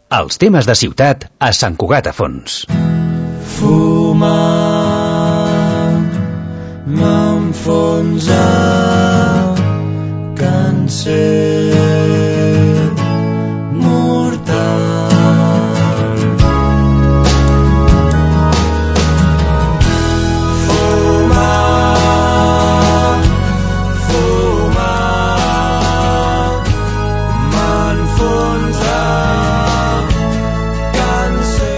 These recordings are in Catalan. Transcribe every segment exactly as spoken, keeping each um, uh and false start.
Els temes de ciutat a Sant Cugat a Fons. Fumar m'enfonsa càncer mortal. Fumar, fumar m'enfonsa càncer.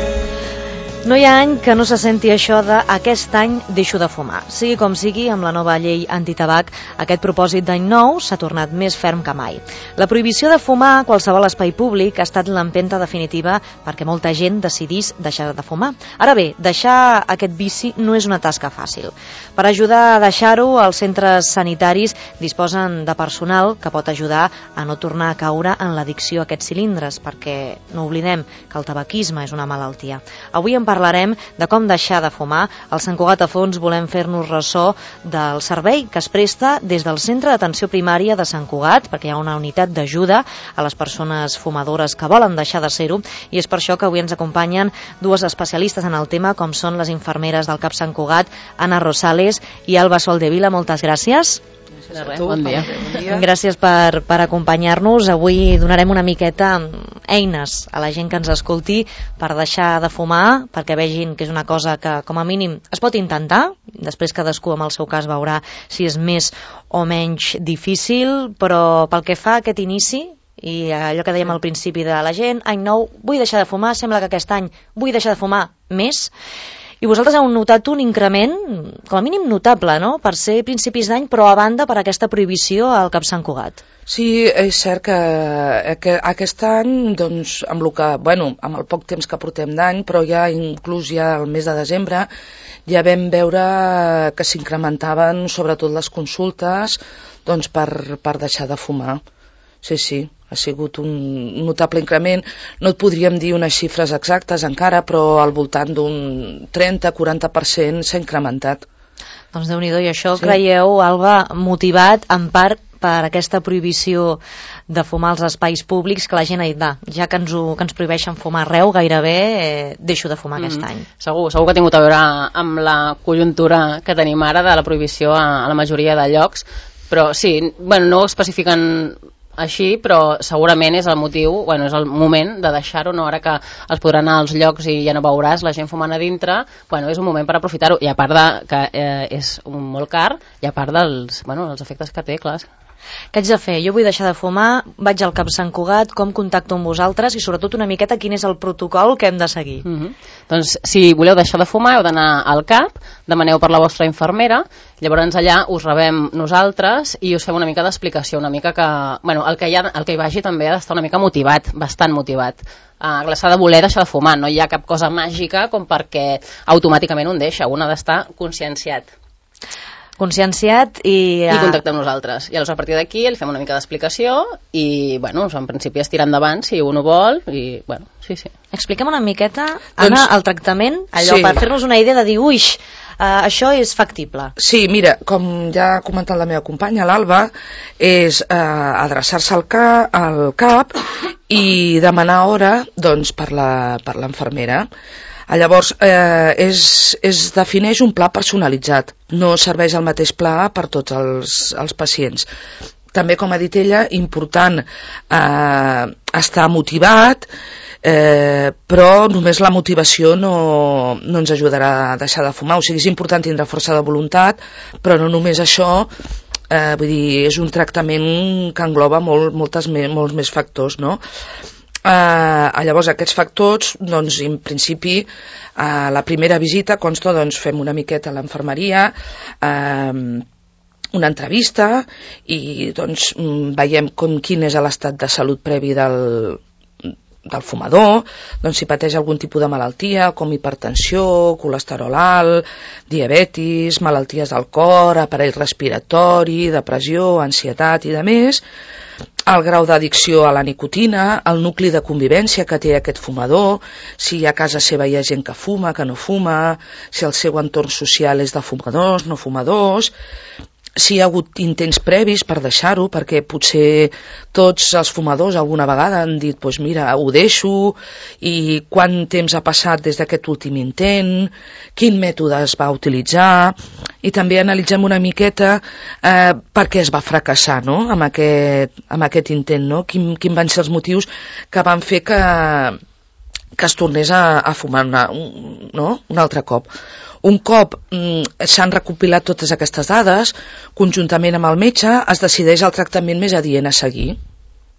No hi ha any que no se senti això de aquest any deixo de fumar. Sigui com sigui, amb la nova llei antitabac, aquest propòsit d'any nou s'ha tornat més ferm que mai. La prohibició de fumar a qualsevol espai públic ha estat l'empenta definitiva perquè molta gent decidís deixar de fumar. Ara bé, deixar aquest vici no és una tasca fàcil. Per ajudar a deixar-ho, els centres sanitaris disposen de personal que pot ajudar a no tornar a caure en l'addicció a aquests cilindres, perquè no oblidem que el tabaquisme és una malaltia. Avui en parlarem de com deixar de fumar. Al Sant Cugat a Fons volem fer-nos ressò del servei que es presta des del Centre d'Atenció Primària de Sant Cugat, perquè hi ha una unitat d'ajuda a les persones fumadores que volen deixar de ser-ho, i és per això que avui ens acompanyen dues especialistes en el tema, com són les infermeres del CAP Sant Cugat, Anna Rosales i Alba Soldevila. Moltes gràcies. De res, bon dia. Gràcies per, per acompanyar-nos. Avui donarem una miqueta eines a la gent que ens escolti per deixar de fumar, perquè vegin que és una cosa que, com a mínim, es pot intentar. Després cadascú amb el seu cas veurà si és més o menys difícil, però pel que fa a aquest inici, i allò que dèiem al principi de la gent, any nou, vull deixar de fumar, sembla que aquest any vull deixar de fumar més. I vosaltres heu notat un increment, com a mínim notable, no?, per ser principis d'any, però a banda per aquesta prohibició al CAP Sant Cugat. Sí, és cert que, que aquest any, doncs, amb, el que, bueno, amb el poc temps que portem d'any, però ja inclús ja el mes de desembre, ja vam veure que s'incrementaven sobretot les consultes, doncs, per, per deixar de fumar. Sí, sí, ha sigut un notable increment. No et podríem dir unes xifres exactes encara, però al voltant d'un trenta a quaranta per cent s'ha incrementat. Doncs Déu-n'hi-do, i això sí. Creieu, Alba, motivat en part per aquesta prohibició de fumar als espais públics, que la gent ha dit, va, ja que ens, ho, que ens prohibeixen fumar arreu, gairebé eh, deixo de fumar mm. aquest any. Segur, segur que ha tingut a veure amb la conjuntura que tenim ara de la prohibició a, a la majoria de llocs, però sí, bueno, no ho especifiquen així, però segurament és el motiu, bueno, és el moment de deixar-ho, no? Ara que es podrà anar als llocs i ja no veuràs la gent fumant a dintre, bueno, és un moment per aprofitar-ho, i a part de que eh, és un molt car, i a part dels, bueno, els efectes que té, clar. Què haig de fer? Jo vull deixar de fumar, vaig al CAP Sant Cugat, com contacto amb vosaltres i sobretot una miqueta quin és el protocol que hem de seguir? Mm-hmm. Doncs si voleu deixar de fumar heu d'anar al CAP, demaneu per la vostra infermera, llavors allà us rebem nosaltres i us fem una mica d'explicació, una mica que, bueno, el que hi, ha, el que hi vagi també ha d'estar una mica motivat, bastant motivat. Uh, s'ha de voler deixar de fumar, no hi ha cap cosa màgica com perquè automàticament un deixa, un ha d'estar conscienciat. Conscienciat i... I contactar amb nosaltres. I llavors a partir d'aquí li fem una mica d'explicació i, bueno, en principi es tira endavant si un ho vol i, bueno, sí, sí. Explica'm una miqueta, Anna, doncs, el tractament, allò sí. Per fer-nos una idea de dir, uix, uh, això és factible. Sí, mira, com ja ha comentat la meva companya, l'Alba, és uh, adreçar-se al, ca, al CAP i demanar hora, doncs, per la, per l'infermera. Llavors, eh, és, es defineix un pla personalitzat, no serveix el mateix pla per tots els, els pacients. També, com ha dit ella, important eh, estar motivat, eh, però només la motivació no, no ens ajudarà a deixar de fumar. O sigui, és important tindre força de voluntat, però no només això, eh, vull dir, és un tractament que engloba molt, moltes, molts més factors, no? Uh, llavors aquests factors, doncs en principi uh, la primera visita consta, doncs fem una miqueta a l'infermeria, uh, una entrevista i doncs veiem com, quin és l'estat de salut previ del, del fumador, doncs si pateix algun tipus de malaltia com hipertensió, colesterol alt, diabetis, malalties del cor, aparell respiratori, depressió, ansietat i de més, el grau d'addicció a la nicotina, el nucli de convivència que té aquest fumador, si a casa seva hi ha gent que fuma, que no fuma, si el seu entorn social és de fumadors, no fumadors, si hi ha hagut intents previs per deixar-ho, perquè potser tots els fumadors alguna vegada han dit, doncs mira, ho deixo, i quant temps ha passat des d'aquest últim intent, quin mètode es va utilitzar, i també analitzem una miqueta eh, per què es va fracassar, no?, amb aquest, amb aquest intent, no?, quin, quin van ser els motius que van fer que, que es tornés a, a fumar una, un, no? un altre cop. Un cop mm, s'han recopilat totes aquestes dades, conjuntament amb el metge es decideix el tractament més adient a seguir.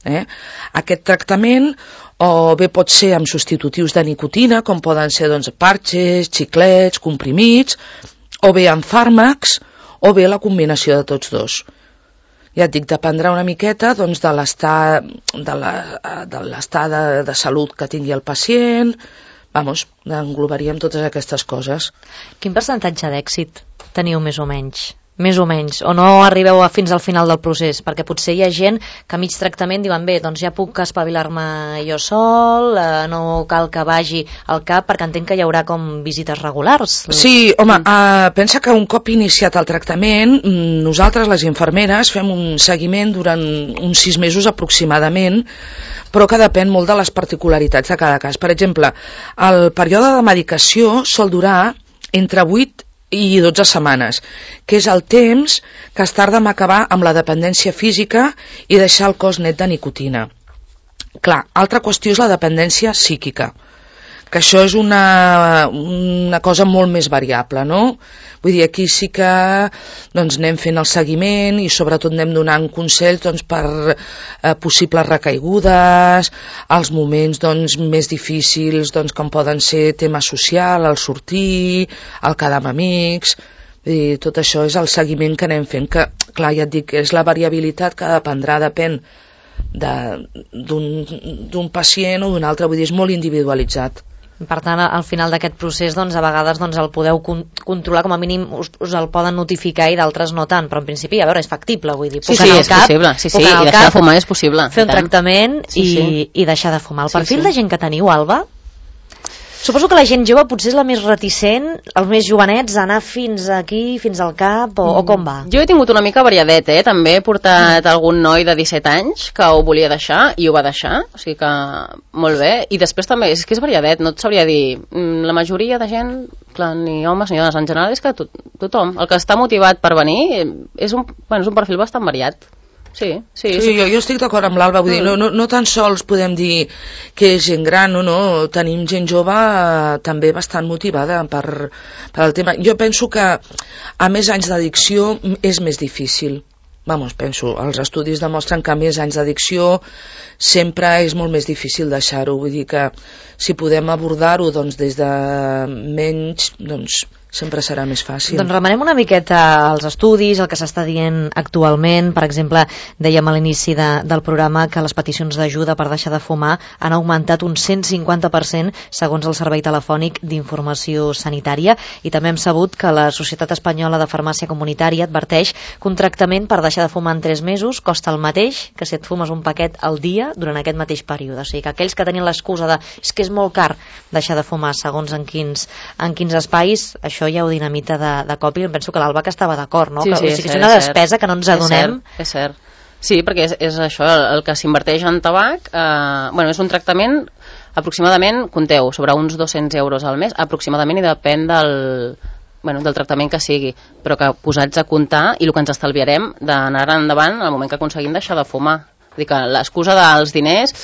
Eh? Aquest tractament o bé pot ser amb substitutius de nicotina, com poden ser doncs, parxes, xiclets, comprimits, o bé amb fàrmacs, o bé la combinació de tots dos. Ja et dic, dependrà una miqueta doncs, de l'estat de la, de, l'estat de, de salut que tingui el pacient. Vamos, englobaríem totes aquestes coses. Quin percentatge d'èxit teniu més o menys? Més o menys, o no arribeu a fins al final del procés? Perquè potser hi ha gent que a mig tractament diuen, bé, doncs ja puc espavilar-me jo sol, eh, no cal que vagi al cap, perquè entenc que hi haurà com visites regulars. Sí, home, eh, pensa que un cop iniciat el tractament, nosaltres, les infermeres, fem un seguiment durant uns sis mesos aproximadament, però que depèn molt de les particularitats de cada cas. Per exemple, el període de medicació sol durar entre vuit i dotze setmanes, que és el temps que es tarda en acabar amb la dependència física i deixar el cos net de nicotina. Clar, altra qüestió és la dependència psíquica, que això és una, una cosa molt més variable, no? Vull dir, aquí sí que doncs, anem fent el seguiment i sobretot anem donant consells doncs, per eh, possibles recaigudes, els moments doncs, més difícils doncs, com poden ser tema social, el sortir, el quedar amb amics. Vull dir, tot això és el seguiment que anem fent, que clar, ja et dic, és la variabilitat que dependrà, depèn d'un pacient o d'un altre, vull dir, és molt individualitzat. Per tant, al final d'aquest procés, doncs, a vegades doncs, el podeu con controlar, com a mínim us, us el poden notificar i d'altres no tant, però en principi, a veure, és factible, vull dir, puc sí, sí, és cap, possible, sí, sí, i deixar de fumar és possible. Fer un tractament sí, i, sí. i deixar de fumar. El perfil sí, sí. de gent que teniu, Alba? Suposo que la gent jove potser és la més reticent, els més jovenets, a anar fins aquí, fins al cap, o, o com va? Jo he tingut una mica variadet, eh? També he portat algun noi de disset anys que ho volia deixar i ho va deixar, o sigui que molt bé. I després també, és que és variadet, no et sabria dir, la majoria de gent, clar, ni homes ni dones, en general és que to tothom, el que està motivat per venir és un, bueno, és un perfil bastant variat. Sí, sí, sí, jo, jo estic d'acord amb l'Alba, vull mm. dir, no, no, no tan sols podem dir que és gent gran, no, no, tenim gent jove eh, també bastant motivada per, per el tema. Jo penso que a més anys d'addicció és més difícil. Vamos, penso, els estudis demostren que a més anys d'addicció sempre és molt més difícil deixar-ho, vull dir que si podem abordar-ho doncs, des de menys, doncs sempre serà més fàcil. Doncs remenem una miqueta als estudis, el que s'està dient actualment. Per exemple, dèiem a l'inici de, del programa que les peticions d'ajuda per deixar de fumar han augmentat un cent cinquanta per cent segons el Servei Telefònic d'Informació Sanitària, i també hem sabut que la Societat Espanyola de Farmàcia Comunitària adverteix que un tractament per deixar de fumar en tres mesos costa el mateix que si et fumes un paquet al dia durant aquest mateix període. O sigui que aquells que tenien l'excusa de és que és molt car deixar de fumar segons en quins, en quins espais, això ja ho dinamita de, de cop, i penso que l'Alba que estava d'acord, no? Sí, que, sí, o sigui, és, és una és despesa que no ens adonem. És cert, és cert. Sí, perquè és, és això, el, el que s'inverteix en tabac, eh, bueno, és un tractament aproximadament, compteu, sobre uns dos-cents euros al mes, aproximadament, i depèn del, bueno, del tractament que sigui, però que posats a comptar i el que ens estalviarem d'anar endavant en el moment que aconseguim deixar de fumar. Vull dir que l'excusa dels diners,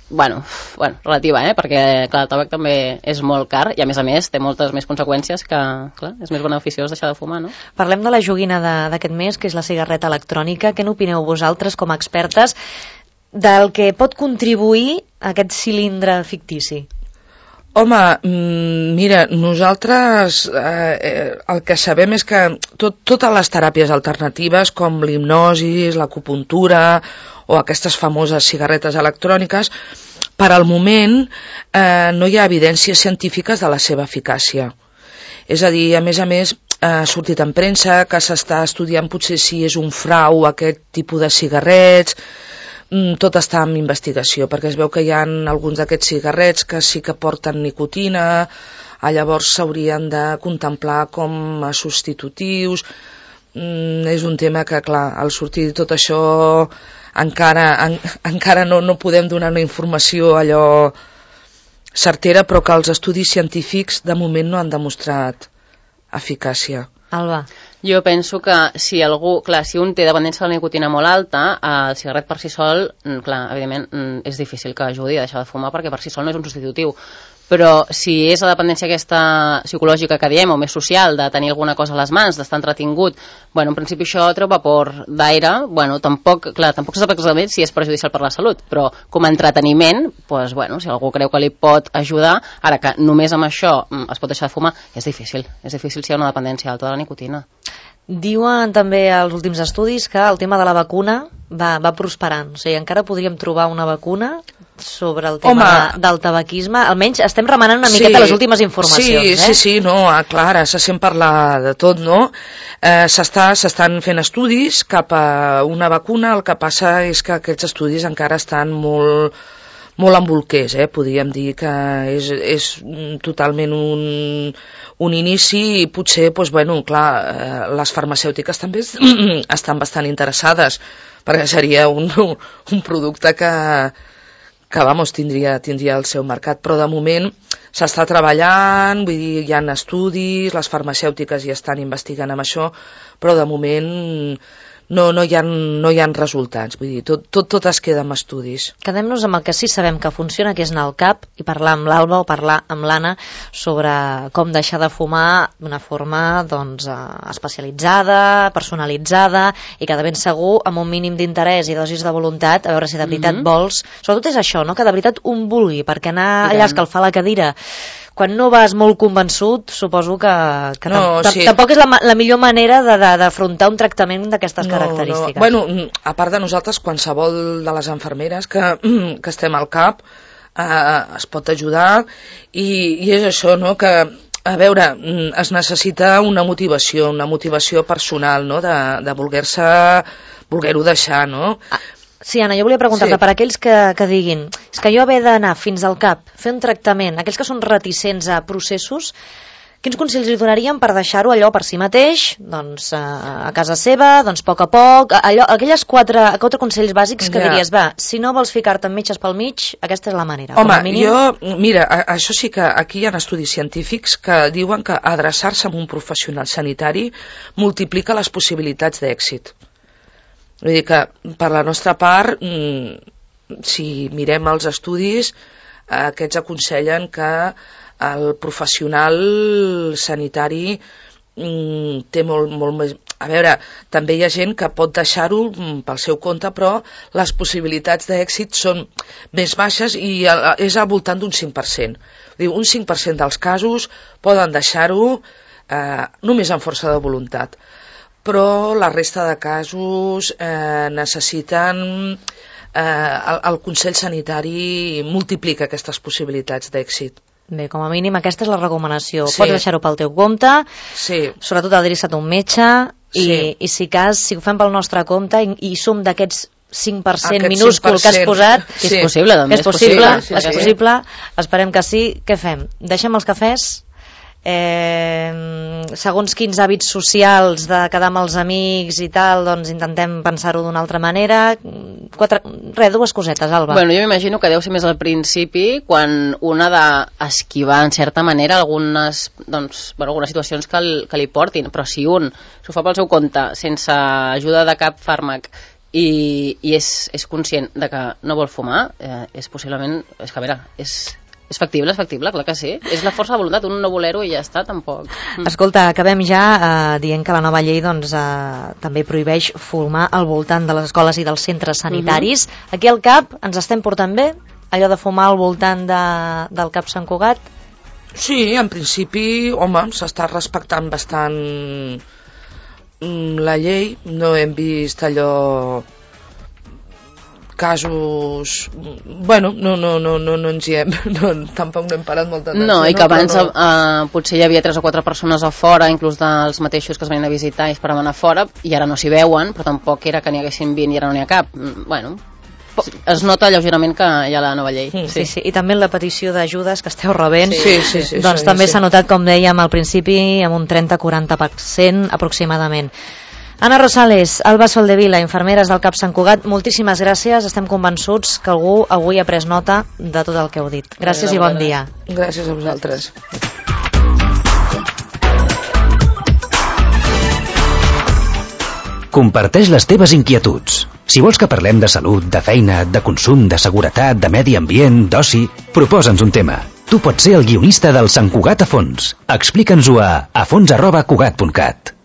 bueno, bueno, relativa, eh? Perquè clar, el tabac també és molt car i a més a més té moltes més conseqüències que, clar, és més beneficiós deixar de fumar, no? Parlem de la joguina d'aquest mes, que és la cigarreta electrònica. Què n'opineu vosaltres com a expertes del que pot contribuir a aquest cilindre fictici? Home, mira, nosaltres eh, el que sabem és que tot, totes les teràpies alternatives com l'hipnosi, l'acupuntura o aquestes famoses cigarretes electròniques, per al moment eh, no hi ha evidències científiques de la seva eficàcia. És a dir, a més a més, ha sortit en premsa que s'està estudiant potser si és un frau aquest tipus de cigarrets. Tot està en investigació, perquè es veu que hi ha alguns d'aquests cigarrets que sí que porten nicotina, llavors s'haurien de contemplar com a substitutius. mm, és un tema que, clar, al sortir tot això encara, en, encara no, no podem donar una informació allò certera, però que els estudis científics de moment no han demostrat eficàcia. Alba. Jo penso que si algú, clar, si un té dependència de la nicotina molt alta, el cigarret per si sol, clar, evidentment és difícil que ajudi a deixar de fumar perquè per si sol no és un substitutiu. Però si és la dependència aquesta psicològica que diem, o més social, de tenir alguna cosa a les mans, d'estar entretingut, bueno, en principi això treu vapor d'aire, bueno, tampoc, clar, tampoc se sap exactament si és perjudicial per la salut, però com a entreteniment, pues, bueno, si algú creu que li pot ajudar, ara que només amb això es pot deixar de fumar, és difícil, és difícil si hi ha una dependència alta de la nicotina. Diuen també als últims estudis que el tema de la vacuna va, va prosperant, o sigui, encara podríem trobar una vacuna sobre el tema de, del tabaquisme, almenys estem remenant una miqueta sí, les últimes informacions. Sí, eh? sí, sí, no, clar, se sent parlar de tot, no? Eh, s'està, s'estan fent estudis cap a una vacuna, el que passa és que aquests estudis encara estan molt molt en bolquers, eh? Podríem dir que és, és totalment un, un inici i potser, doncs, bueno, clar, eh, les farmacèutiques també estan bastant interessades perquè seria un, un producte que, que vamos, tindria, tindria el seu mercat, però de moment s'està treballant, vull dir, hi ha estudis, les farmacèutiques hi estan investigant amb això, però de moment no, no, hi ha, no hi ha resultats, vull dir, tot, tot, tot es queda amb estudis. Quedem-nos amb el que sí sabem que funciona, que és anar al cap i parlar amb l'Alba o parlar amb l'Anna sobre com deixar de fumar d'una forma doncs, especialitzada, personalitzada i que de ben segur amb un mínim d'interès i dosis de voluntat, a veure si de veritat mm-hmm. vols, sobretot és això, no? Que de veritat un vulgui, perquè anar allà a escalfar la cadira quan no vas molt convençut, suposo que, que no, tam sí. tampoc és la, la millor manera d'afrontar un tractament d'aquestes no, característiques. No. Bueno, a part de nosaltres, qualsevol de les infermeres que, que estem al cap eh, es pot ajudar i, i és això, no?, que a veure, es necessita una motivació, una motivació personal, no?, de, de voler-se, voler-ho deixar, no? Ah. Sí, Anna, jo volia preguntar-te sí. per aquells que, que diguin és que jo haver d'anar fins al cap, fer un tractament, aquells que són reticents a processos, quins consells li donaríem per deixar-ho allò per si mateix, doncs a casa seva, doncs a poc a poc, allò, aquelles quatre, quatre consells bàsics que ja. diries, va, si no vols ficar-te amb metges pel mig, aquesta és la manera. Home, mínim... jo, mira, això sí que aquí hi ha estudis científics que diuen que adreçar-se a un professional sanitari multiplica les possibilitats d'èxit. Vull dir que, per la nostra part, si mirem els estudis, aquests aconsellen que el professional sanitari té molt, molt més... A veure, també hi ha gent que pot deixar-ho pel seu compte, però les possibilitats d'èxit són més baixes i és al voltant d'un cinc per cent. Vull dir, un cinc per cent dels casos poden deixar-ho eh, només amb força de voluntat. Però la resta de casos eh, necessiten... Eh, el, el Consell Sanitari multiplica aquestes possibilitats d'èxit. Bé, com a mínim aquesta és la recomanació. Sí. Pots deixar-ho pel teu compte, sí. sobretot adreça't a un metge, i, sí. i si cas, si ho fem pel nostre compte i, i som d'aquests cinc per cent Aquest minúscul cinc per cent. que has posat, que és sí. possible, que és possible, possible, sí, és sí. possible, esperem que sí. Què fem? Deixem els cafès? Eh, segons quins hàbits socials de quedar amb els amics i tal, doncs intentem pensar-ho d'una altra manera. Quatre... Res, dues cosetes, Alba. Bueno, jo m'imagino que deu ser més al principi, quan una ha d'esquivar en certa manera algunes, doncs, bueno, algunes situacions que, el, que li portin, però si un s'ho fa pel seu compte sense ajuda de cap fàrmac i, i és, és conscient de que no vol fumar, eh, és possiblement, és que a veure, és És factible, és factible, clar que sí. És la força de voluntat, un no voler-ho i ja està, tampoc. Escolta, acabem ja eh, dient que la nova llei doncs, eh, també prohibeix fumar al voltant de les escoles i dels centres sanitaris. Uh-huh. Aquí al CAP ens estem portant bé? Allò de fumar al voltant de, del CAP Sant Cugat? Sí, en principi, home, s'està respectant bastant la llei. No hem vist allò... casos... Bueno, no, no, no, no, no ens hi hem... No, tampoc no hem parat molta atenció. No, i que abans no, no. Eh, potser hi havia tres o quatre persones a fora, inclús dels mateixos que es venien a visitar i esperaven a fora, i ara no s'hi veuen, però tampoc era que n'hi haguessin vint i ara no n'hi ha cap. Bueno, es nota lleugerament que hi ha la nova llei. Sí, sí, sí. I també la petició d'ajudes que esteu rebent, sí, sí, sí, doncs sí, també sí. s'ha notat, com dèiem al principi, amb un trenta a quaranta per cent aproximadament. Anna Rosales, Alba Soldevila, infermeres del CAP Sant Cugat, moltíssimes gràcies. Estem convençuts que algú avui ha pres nota de tot el que heu dit. Gràcies i bon dia. Gràcies a vosaltres. Comparteix les teves inquietuds. Si vols que parlem de salut, de feina, de consum, de seguretat, de medi ambient, d'oci, proposa'ns un tema. Tu pots ser el guionista del Sant Cugat a fons. Explica'ns-ho a afons arroba cugat punt cat.